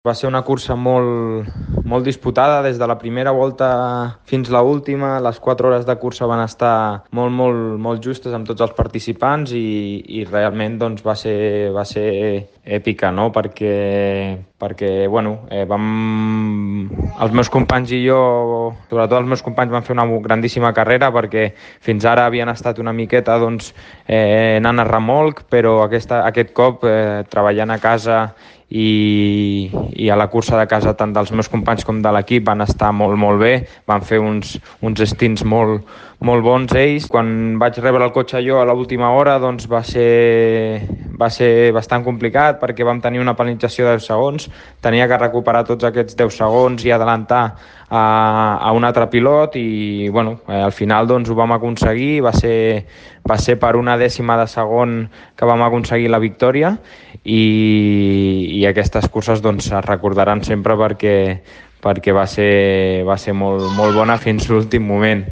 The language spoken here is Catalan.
Va ser una cursa molt disputada des de la primera volta fins a l'última. Les 4 hores de cursa van estar molt justes amb tots els participants i realment doncs, va ser èpica, no? perquè els meus companys i jo, sobretot els meus companys, van fer una grandíssima carrera perquè fins ara havien estat una miqueta anant a remolc, però aquest cop treballant a casa i a la cursa de casa tant dels meus companys com de l'equip van estar molt bé, van fer uns stints molt bons ells. Quan vaig rebre el cotxe jo a l'última hora doncs va ser bastant complicat perquè vam tenir una penalització de 10 segons, tenia que recuperar tots aquests 10 segons i adelantar a un altre pilot i al final doncs ho vam aconseguir, va ser per una dècima de segon que vam aconseguir la victòria i aquestes curses doncs es recordaran sempre perquè va ser molt bona fins l'últim moment.